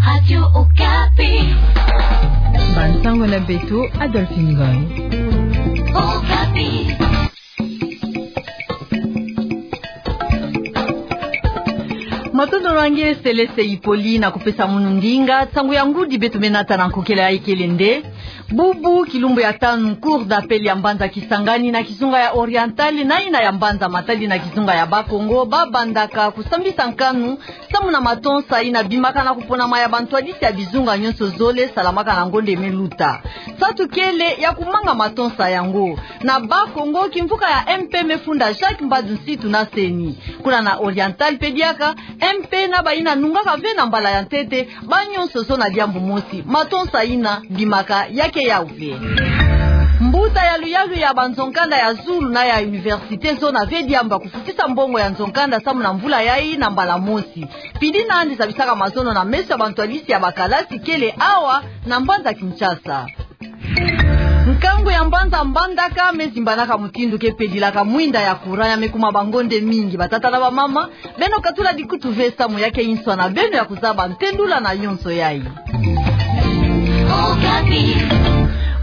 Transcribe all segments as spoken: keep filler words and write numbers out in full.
Radio Okapi. Bansango na beto, Adolphine Ngoy. Okapi. Matondo na nge Selese Ipoli na kupesa munu ndinga. Nsangu ya ngudi beto me nata na nkokela ya ikele nde: Bubu, kilumbu ya tanu, Cour d'appel ya mbanza Kisangani na kizunga ya Oriental na ina ya mbanza Matadi na kizunga ya Bas-Congo, ba bandaka kusambisa nkanu samu na matonsa ina bimaka na kuponama ya bantwadisi ya bizunga nyonso zole salamaka na ngonda me luta. Nsatu kele ya kumanga matonsa yango. Na Bas-Congo, kimvuka ya M P me funda Jacques Mbadou Nsitu na CENI. Kuna na Oriental mpe diaka, M P na bayina nungaka ve na mbala ya ntete, ba nyonso zo na diambu mosi, matonsa ina bimaka ya ke yau ve. Mbuta ya luyalu ya banzo-nkanda ya zulu na ya université zo na ve diambu ya kufutisa mbongo ya nzo-nkanda samu na mvula yai na mbala mosi. Pidi na yandi zabisaka mazono na meso ya bantwadisi ya bakalasi kele awa na mbanza Kinshasa. Nkangu ya mbanza Mbandaka me zimbanaka mutindu ke pedilaka mwinda ya courant ya me kuma bangonde mingi. Batata na bamama, beno katula dikutu ve samu ya ke inswa na beno ya kuzaba ntendula na yonso yai.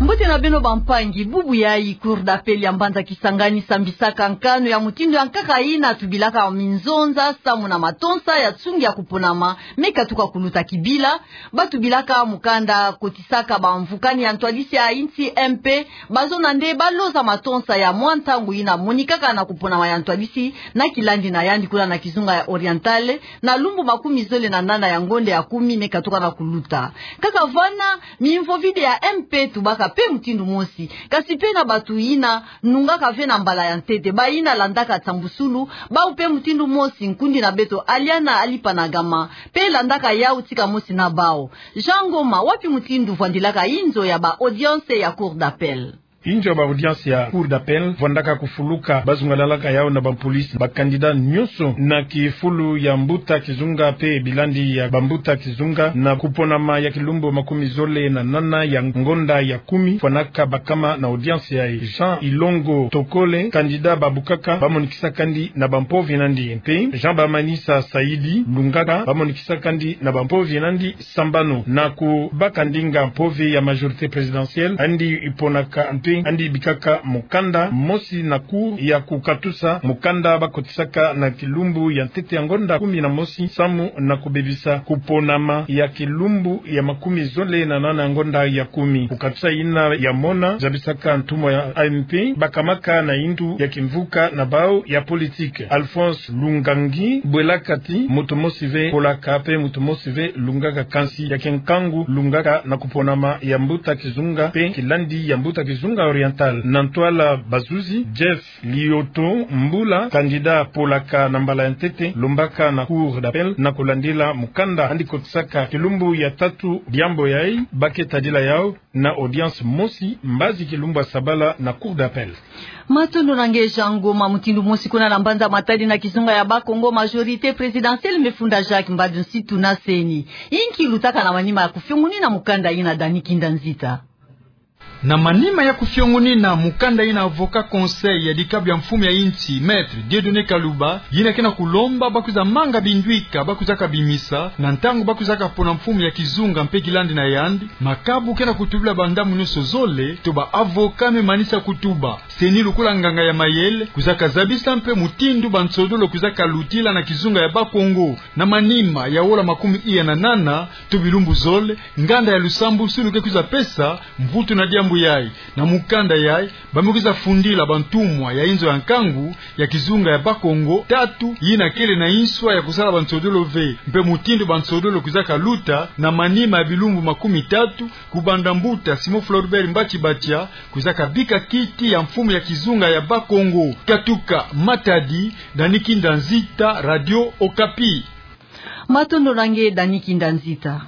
Mbote na beno bampangi. Bubu yai, Cour d'appel ya mbanza Kisangani sambisaka nkanu ya mutindu ya nkaka ina tubilaka minzonza samu na matonsa ya nsungi ya kuponama me katuka kuluta kibila. Ba tubilaka mukanda kotisaka bamvukani ya ntwadisi ya insi M P, bazona nde ba loza matonsa ya mwa ntangu ina monikaka na kuponama ya ntwadisi na kilandi na yandi kuna na kizunga ya Oriental, na lumbu makumi zole na nana ya ngonda ya kumi me katuka na kuluta. Kaka vana, mimvo vide ya M P tubaka mpe mutindu mosi. Kasi mpe na batu ina nungaka ve na mbala ya ntete, bayina landaka nsambusulu, bau mpe mutindu mosi. Nkundi na beto Aliana Alipanagama mpe landaka yau tika mosi na bau. Jean Ngoma, wapi mutindu vwandilaka inzo ya ba audience ya Cour d'appel? Inzo ya ba audience ya Cour d'appel vwandaka kufuluka, bazungalalaka yau na bampolisi ba candidat nyonso na kifulu ya mbuta kizunga mpe bilandi ya bambuta kizunga na kuponama ya kilumbu makumi zole na nana ya ngonda ya kumi, fwanaka bakama na audience yai. Jean Ilongo Tokole, candidat babukaka, bamonikisaka ndi na bampovi na ndi, mpe Jean Bamanisa Saidi, lungaka, bamonikisaka ndi na bampovi na ndi sambanu. Na kubaka ndinga mpovi ya majorité présidentielle, andi iponaka mpe andi bikaka mukanda mosi na Cour ya kukatusa mukanda bakotisaka na kilumbu ya ntete ya ngonda kumi na mosi samu na kubebisa kuponama ya kilumbu ya makumi zole na nana ya ngonda ya kumi. Kukatusa ina ya mona zabisaka ntumwa ya M P bakamaka na indu ya kimvuka na bau ya politique. Alphonse Lungangi Bwelakati, mutu mosi ve polaka mpe mutu mosi ve lungaka, kansi ya ke nkangu lungaka na kuponama ya mbuta kizunga mpe kilandi ya mbuta kizunga Oriental. Na ntwala bazuzi, Jeff Lioto Mbula, candidat polaka na mbala ya ntete, lombaka na Cour d'appel na kulandila mukanda andi kotisaka kilumbu ya tatu diambu yai, ba ke tadila yau na audience mosi mbazi kilumbu ya sabala na Cour d'appel. Matondo na nge Jean Ngoma. Mutindu mosi kuna na mbanza Matadi na kizunga ya Bas-Congo, majorité présidentielle me funda Jacques Mbadou Nsitu na CENI. Inki lutaka na manima ya kufiongunina mukanda ina, Dani Kinda Nzita? Na manima ya kufiongunina mukanda ina, avocat conseil ya dikabu ya mfumu ya insi, Maître Dieudonné Kaluba, yina ke na kulomba ba kwiza manga binduika ba kwizaka bimisa na ntangu ba kwizaka pona mfumu ya kizunga mpe kilandi na yandi, makabu ke na kutubila bandambu nyonso zole to ba avocat me manisa kutuba. CENI lokola nganga ya mayele kwizaka zabisa mpe mutindu bansodolo kwizaka lutila na kizunga ya Bas-Congo. Na manima ya wola makumi iya na nana to bilumbu zole, nganda ya lusambusulu ke kwiza pesa mvutu na diambu yai. Na mukanda yai, ba me kwiza fundila bantumwa ya inzo ya nkangu ya kizunga ya Bas-Congo tatu, yina kele na inswa ya kusala bansodolo ve, mpe mutindu bansodolo kwizaka luta na manima ya bilumbu makumi tatu, kubanda mbuta Simon Floribert Mbatshi Batia kwizaka bika kiti ya mfumu ya kizunga ya Bas-Congo. Katuka Matadi, Dani Kinda Nzita, Radio Okapi. Matondo na nge, Dani Kinda Nzita.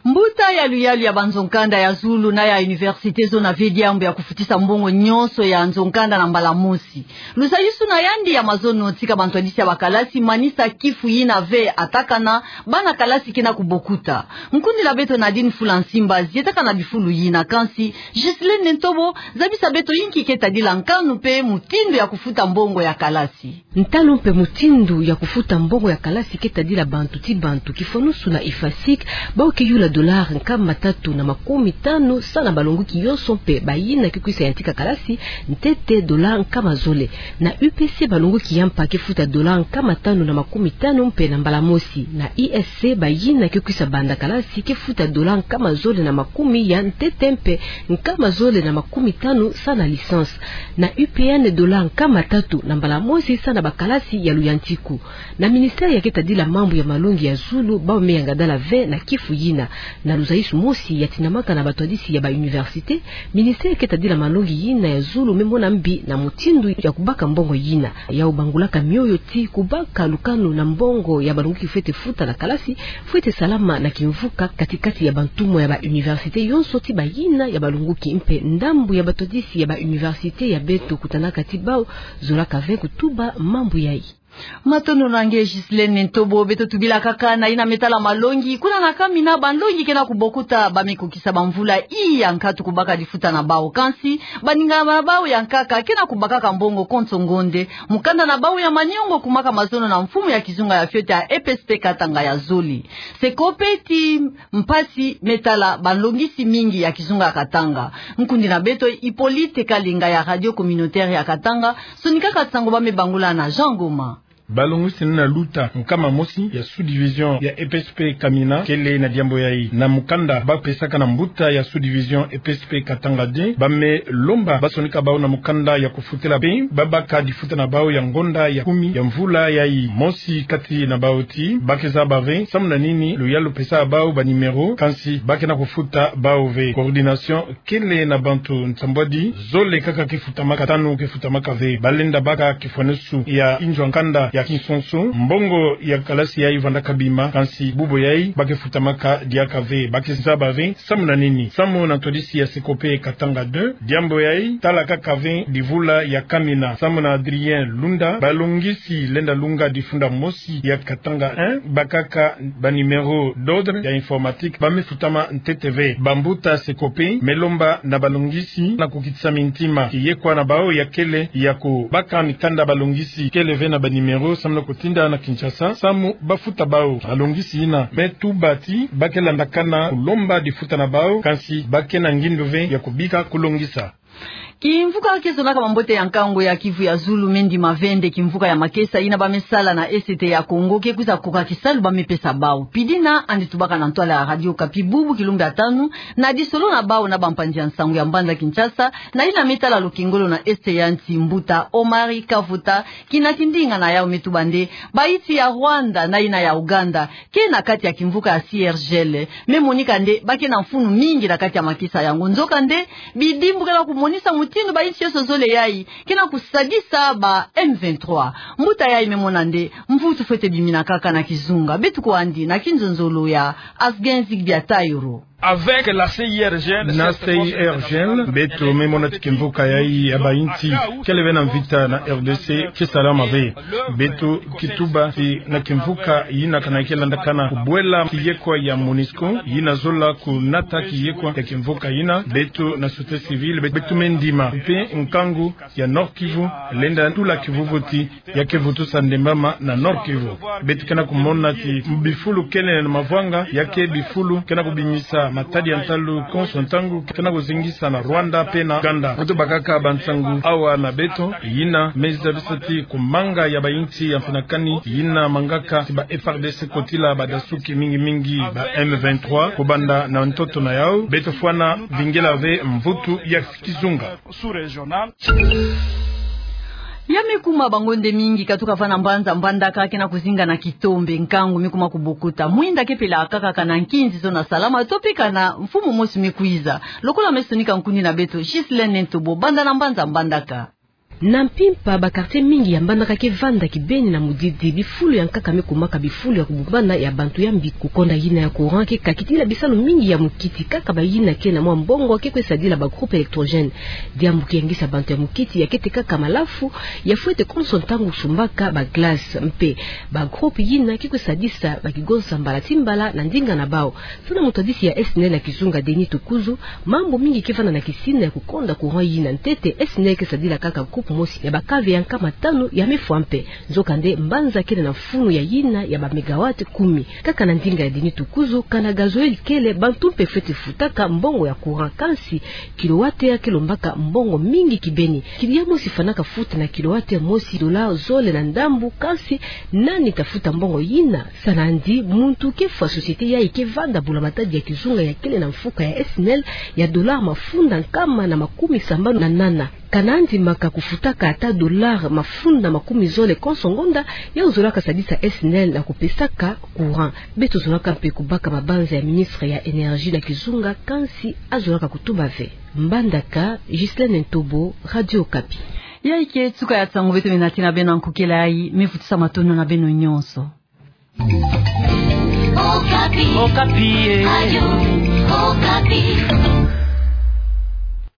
Mbuta ya luyalu ya banzo-nkanda ya zulu na ya université zona ve diambu ya kufutisa mbongo nyonso ya nzo-nkanda na mbala mosi. Luzayusu na yandi ya mazono tika bantwadisi ya bakalasi manisa kifu yina ve atakana, bana kalasi ke na kubokuta. Nkundi na beto Nadine Fulansimba zietaka na bifulu yina, kansi Ghislaine Ntobo zabisa beto inki ke tadila nkanu mpe mutindu ya kufuta mbongo ya kalasi. Ntalu mpe mutindu ya kufuta mbongo ya kalasi ke tadila bantu ti bantu. Kifwanusu na IFASIC, bau ke yula dollar nkama tatu na makumi tanu sa na balonguki yonso mpe bayina ke kwisa yantika kalasi ntete dollar nkama zole. Na UPC balonguki ya mpa ke futa dollar nkama tanu na makumi tanu mpe na mbala mosi. Na ISC bayina ke kwisa banda kalasi ke futa dollar nkama zole na makumi ya ntete mpe nkama zole na makumi tanu sa na licence. Na UPN dollar nkama tatu na mbala mosi sa na bakalasi ya luyantiku. Na ministère ya ke tadila mambu ya malongi ya zulu, bau me yangadala ve na kifu yina. Na luzayusu mosi ya tinamaka na batwadisi ya ba université, ministère ke tadila malongi yina ya zulu me mona mbi na mutindu ya kubaka mbongo yina. Yau bangulaka mioyo ti kubaka lukanu na mbongo ya balonguki fwete futa na kalasi, fwete salama na kimvuka katikati ya bantumwa ya ba université yonso ti bayina ya balonguki mpe ndambu ya batwadisi ya ba université ya beto kutanaka ti bau zolaka ve kutuba mambu yayi. Matondo na nge Ghislaine Ntobo. Beto tubila kaka na yina me tala malongi. Kuna na Kamina, banlongi ke na kubokuta, ba me kukisa bamvula i ya nkatu kubaka difuta na bau. Kansi baninga na bau ya nkaka ke na kubakaka mbongo konso ngonde. Mukanda na bau ya maniongo kumaka mazono na mfumu ya kizunga ya fioti ya EPSP Katanga ya zole. Seko pe ti mpasi me tala banlongisi mingi ya kizunga ya Katanga. Nkundi na beto Hippolyte Kalinga ya Radio Communautaire ya Katanga sonikaka nsangu ba me bangula na Jean Goma. Balongisi na luta nkama mosi ya sous-division ya EPSP Kamina kele na diambu yayi. Na mukanda ba pesaka na mbuta ya sous-division EPSP Katanga deux, ba me lomba ba sonika bau na mukanda ya kufutila pe ba baka difuta na bau ya ngonda ya kumi ya mvula yayi. Mosi kati na bau ti ba ke zaba ve samu na nini luyalu pesa bau ba numéro, kansi ba ke na kufuta bau ve. Coordination kele na bantu nsambwadi zole kaka ke futamaka, tanu ke futamaka ve. Ba lenda baka kifwanusu ya inzo ya nkanda ya kinsonso, mbongo ya kalasi yayi vandaka bima, kansi bubu yayi ba ke futamaka diaka ve. Ba ke zaba ve samu na nini. Samu na ntwadisi ya Seko pe Katanga deux, diambu yayi tala kaka ve divula ya Kamina. Samu na Adrien Lunda, balongisi lenda lunga difunda mosi ya Katanga un, bakaka ba numéro d'ordre ya informatique, ba me futama ntete ve. Bambuta Seko pe me lomba na balongisi na kukitisa mintima. Kiyekwa na bau ya kele ya kubaka mikanda balongisi kele ve na ba numéro samu na kutinda na Kinshasa samu ba futa bau. Balongisi yina me tuba ti ba ke landakana kulomba difuta na bau, kansi ba ke na ngindu ve ya kubika kulongisa. Kimvuka ke zonaka mambote ya nkangu ya Kivu ya zulu me ndima ve nde kimvuka ya makesa yina ba me sala na Est ya Congo ke kwiza koka kisalu ba me pesa bau. Pidina andi tubaka na ntwala ya Radio Okapi bubu kilumbu ya tanu, na disolo na bau na bampanzi ya nsangu ya mbanza Kinshasa, na yina me tala lukengolo na Est ya nsi, mbuta Omari Kavota, kina tindinga na yau me tuba nde bayinsi ya Rwanda na yina ya Ouganda ke na kati ya kimvuka ya C R G L. Me monika nde ba ke na mfunu mingi na kati ya makesa yango. Nzokande, bidimbu ke na kumonisa mutindu bayinsi yonso zole yayi ke na kusadisa ba M vingt-trois. Mbuta yayi me mona nde mvutu fwete bimina kaka na kizunga. Beto kwandi na kinzonzolo ya Asgen Zigbia Tayoro. Avec la C I R G L, na C I R G L, beto me mona ti kimvuka yayi ya bayinsi kele ve na mvita na R D C ke salama ve. Beto ke tuba ti na kimvuka yina kana ke landakana kubwela kiyekwa ya MONUSCO, yina zola kunata kiyekwa ya kimvuka yina. Beto na société civile, be-, beto me ndima pe nkangu ya Nord-Kivu lenda tula kivuvuti ya ke vutusa ndembama na Nord-Kivu. Beto ke na kumona ti bifulu kele na mavwanga, ya ke bifulu ke na kubimisa matadi ya ntalu konso ntangu, ke na kuzingisa na Rwanda pe na Ouganda. Beto bakaka bansangu awa na beto, yina me zabisa ti kumanga ya bayinsi ya mfinakani, yina mangaka ti ba F A R D C kotila badasuki mingi mingi ba M vingt-trois, kubanda na ntoto na yau. Beto fwana vingila ve mvutu ya kizunga. Ya me kuma bangonde mingi katuka va na mbanza Mbandaka ke na kuzinga na kitombe, nkangu me kuma kubokuta. Mwinda ke pela kaka kana nkinzi zona salama, to pe kana mfumu mosi me kwiza. Lokola me sonika nkundi na beto, Ghislaine Ntobo, banda na mbanza Mbandaka. Na mpimpa, ba quartier mingi ya Mbandaka ke vanda kibeni na mudidi, bifulu ya nkaka me kumaka bifulu ya kubumbana ya bantu ya mbi. Kukonda yina ya courant ke kakitila bisalu mingi ya mukiti, kaka ba yina ke na mwa mbongo ke kwe sadila ba groupe électrogène. Diambu ke yangisa bantu ya mukiti ya kete kaka malafu, ya fwete konso ntangu sumbaka ba glace. Mpe ba groupe yina ke kwe sadisa ba kigonsa mbala ti mbala na ndinga na bau. Samu na mutwadisi ya SNEL na kizunga, Denis Tukuzu, mambu mingi ke vanda na kisina ya kukonda courant yina. Ntete, SNEL ke sadila kaka groupe mosi ya ba cave ya nkama tanu ya me fwa mpe. Nzokande, mbanza kele na mfunu ya yina ya ba mégawatt kumi. Kaka na ndinga ya Denis Tukuzu, kana gazoil kele, bantu mpe fwete futaka mbongo ya courant. Kansi, kilowattheure ke lombaka mbongo mingi kibeni. Client mosi fwanaka futa na kilowattheure mosi dollar zole na ndambu. Kansi, nani ta futa mbongo yina? Samu na yandi, muntu ke fwa société yayi ke vanda bula-matadi ya kizunga ya kele na mfuka ya SNEL ya dollar mafunda nkama na makumi sambanu na nana. Kana yandi maka kufutaka ata dollar mafunda makumi zole konso ngonda, yau zolaka sadisa SNEL na kupesaka courant. Beto zolaka mpe kubaka mabanza ya ministre ya énergie na kizunga, kansi azolaka kutuba ve. Mbandaka, Ghislaine Ntobo, Radio Okapi. Yayi ke suka ya nsangu beto me nati na beno na nkokela yayi, me vutisa matondo na beno nyonso. Okapi. Okapi, eh. Radio Okapi.